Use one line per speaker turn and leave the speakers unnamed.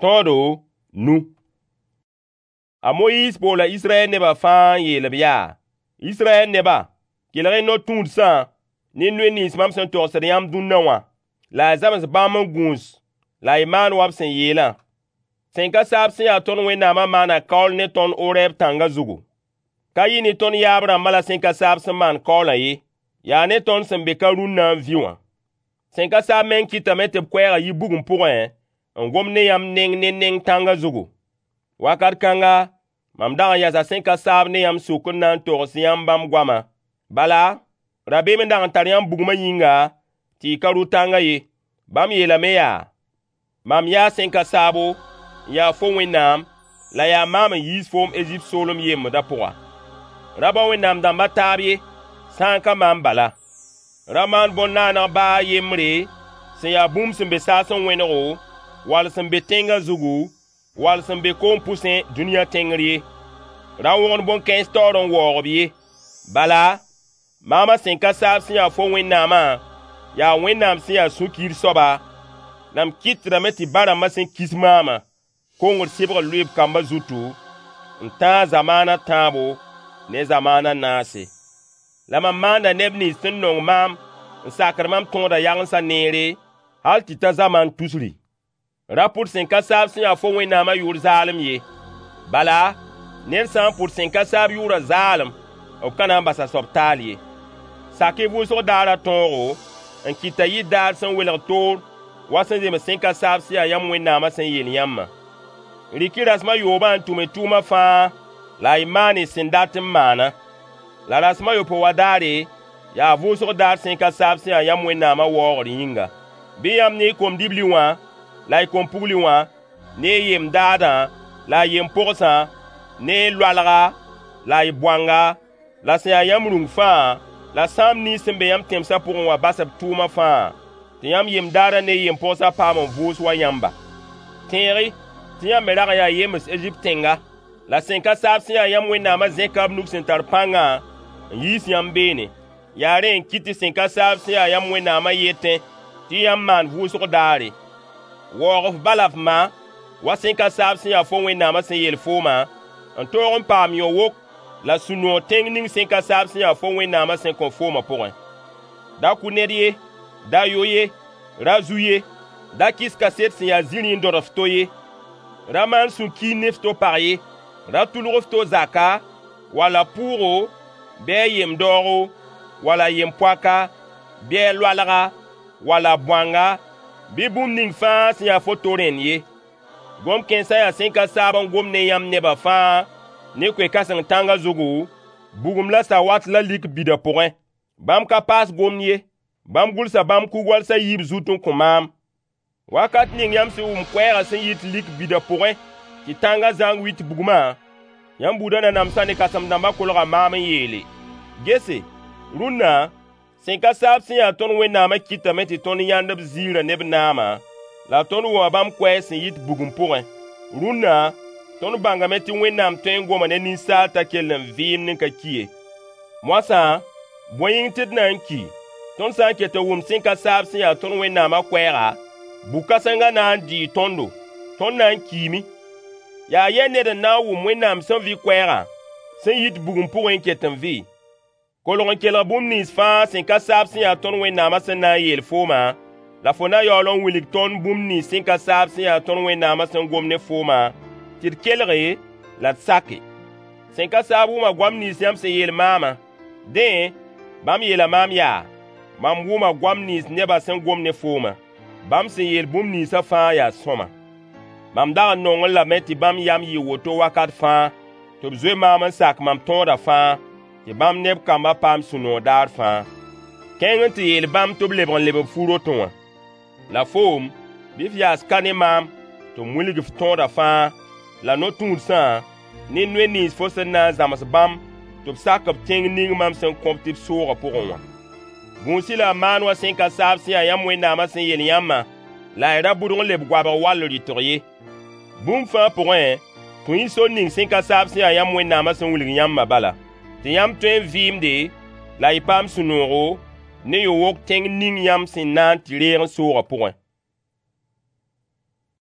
Tõodo nu. A Moyiis boola Israyɛl nebã fãa n yeel-b yaa: Israyɛl neba, kelg-y no-tũudsã ne noy nins mam sẽn togsd yãmb dũnna wã, la y zams bãmb n gũus la y maan wa b sẽn yeelã. Sẽn ka saab sẽn ya tõnd Wẽnnaamã maana kaool ne tõnd Orɛɛb tãngã zugu. Ka yɩ ne tõnd yaab-rãmbã la sẽn ka saab sẽn maan kaoolã ye, yaa ne tõnd sẽn be ka rũnna n vĩ wã. Sẽn ka saab meng kɩtame tɩ b koɛɛgã yi bugum pʋgẽ n gom ne yãmb neng ne neng tãngã zugu. Wakat kãnga, mam dag n yasa sẽn ka saab ne yãmb sʋk n na n togs yãmb bãmb goamã. Bala, rabeem n dag n tar yãmb bugmã yĩnga tɩ y ka rʋ tãngã ye. Bãmb yeelame yaa: Mam yaa sẽn ka saabo, n ya fo Wẽnnaam, la yaa maam n yiis foom Ezipt soolem yembdã pʋga. Ra bao wẽnnaam dãmb a taab ye, sã n ka maam bala. Ra maan bõn-naaneg ba a yembre sẽn ya bũmb sẽn be saasẽ wẽnego, wall sẽn be tẽngã zugu, wall sẽn be koom pʋsẽ dũniyã tẽngr ye. Ra wõgen bõn-kãens taoor n waoog-b ye. Bala, maamã sẽn ka saab sẽn ya fo Wẽnnaamã, yaa Wẽnnaam sẽn ya sũ-kiir soaba, la m kɩtdame tɩ ba-rãmbã sẽn kis maamã, kongr sɩbgr lʋɩ b kambã zutu, n tãag zamaana a tãabo ne zamaana a naase. La mam maanda neb nins sẽn nong maam n sakd mam tõodã yagensã neere, hal tɩ ta zamaan tusri. Ra pʋd sẽn ka saab sẽn ya fo Wẽnnaamã yʋʋr zaalem ye. Bala, ned sã n pʋd sẽn ka saab yʋʋrã zaalem, b ka na n bas a soab taal ye. Sak-y vʋʋsg daarã tõogo n kɩt t'a yɩ daar sẽn welg toor wa sẽn zems sẽn ka saab sẽn ya yãmb Wẽnnaamã sẽn yeel yãmbã. Rɩk-y rasem a yoobã n tʋm y tʋʋma fãa la y maan y sẽn dat n maana. La rasem a yopoe wã daare, yaa vʋʋsg daar sẽn ka saab sẽn ya yãmb Wẽnnaamã waoogr yĩnga. Bɩ yãmb ne y kom-dibli wã la y kom-pugli wã, ne y yem-daadã la y yem-pogsã, ne y loalga la y boanga, la sẽn ya yãmb rũng fãa, la sãam nins sẽn be yãmb tẽmsã pʋgẽ wã bas b tʋʋma fãa, tɩ yãmb yem-daadã ne y yem-pogsã paam n vʋʋs wa yãmba. Tẽeg-y tɩ yãmb me rag n yaa yems Ezipt tẽnga, la sẽn ka saab sẽn ya yãmb Wẽnnaamã zẽka b nug sẽn tar pãngã n yiis yãmb beene. Yaa rẽ n kɩt tɩ sẽn ka saab sẽn ya yãmb Wẽnnaamã yetẽ tɩ yãmb maan vʋʋsg daare. Waoog f ba la f ma, wa sẽn ka saab sẽn ya fo Wẽnnaamã sẽn yeel foomã, n toog n paam yõ-wok la sũ-noog tẽng ning sẽn ka saab sẽn ya fo Wẽnnaamã sẽn kõ foomã pʋgẽ. Da kʋ ned ye, da yo ye, ra zu ye, da kɩs kaset sẽn ya zĩrĩ n dõdg f to ye. Ra maan sũ-kiir ne f to pag ye. Ra tʋlg f to zaka, wala pʋʋgo, bɩ a yem-daoogo, wala yem-poaka, bɩ a loalga, wala bõanga, bɩ bũmb ning fãa sẽn ya fo to rẽnd ye. Gom-kãensã yaa sẽn ka saab n gom ne yãmb nebã fãa ne koe-kãseng tãngã zugu, bugum la sawat la lik bidã pʋgẽ. Bãmb ka paas gomd ye. Bãmb gʋlsa bãmb kug-wals a yiib zut n kõ maam. Wakat ning yãmb sẽn wʋm koɛɛgã sẽn yit lik bidã pʋgẽ tɩ tãngã zãng wit bugmã, yãmb buudã nanamsã ne kãsem-dãmbã kolga maam n yeele: Gese, rũnna, sẽn ka saab sẽn ya tõnd Wẽnnaamã kɩtame tɩ tõnd yãnd b ziirã ne b naamã, la tõnd wʋma bãmb koɛɛg sẽn yit bugum pʋgẽ. Rũnna, tõnd bãngame tɩ Wẽnnaam tõe n goma ne ninsaal t'a kell n vɩɩmd n ka ki ye. Moasã, bõe yĩng tɩ d na n ki? Tõnd sã n ket n wʋm sẽn ka saab sẽn ya tõnd Wẽnnaamã koɛɛga, bu-kãsengã na n dɩɩ tõndo, tõnd na n kiime. Yaa yɛ ned n na n wʋm Wẽnnaam sẽn vɩ koɛɛgã sẽn yit bugum pʋgẽ n ket n vɩ? Kolg n kelg bũmb nins fãa sẽn ka saab sẽn ya tõnd Wẽnnaamã sẽn na n yeel foomã, la fo na yaool n wilg tõnd bũmb nins sẽn ka saab sẽn ya tõnd Wẽnnaamã sẽn gom ne foomã, tɩ d kelge la d sake. Sẽn ka saab wʋma goam nins yãmb sẽn yeel maamã. Dẽ, bãmb yeela maam yaa: Mam wʋma goam nins nebã sẽn gom ne foomã. Bãmb sẽn yeel bũmb ninsã fãa yaa sõama. Mam dag n nongẽ lame tɩ bãmb yam yɩ woto wakat fãa, tɩ b zoe maam n sak mam tõodã fãa, tɩ bãmb ne b kambã paam sũ-noog daar fãa. Kẽng n tɩ yeel bãmb tɩ b lebg n leb b fu-rotẽ wã. La foom, bɩ f yaas ka ne maam tɩ m wilg f tõodã fãa, la no-tũudsã, ne noy nins fo sẽn na n zãms bãmb tɩ b sak b tẽng ning mam sẽn kõ-b tɩ b soogã pʋgẽ wã. Gũus-y la y maan wa sẽn ka saab sẽn ya yãmb Wẽnnaamã sẽn yeel yãmbã, la y ra bʋdg n leb goabg wall rɩtg ye. Bũmb fãa pʋgẽ, tũ-y sor ning sẽn ka saab sẽn ya yãmb Wẽnnaamã sẽn wilg yãmbã bala, tɩ yãmb tõe n vɩɩmde la y paam sũ-noogo ne yõ-wok tẽng ning yãmb sẽn na n tɩ reeg n soogã pʋgẽ.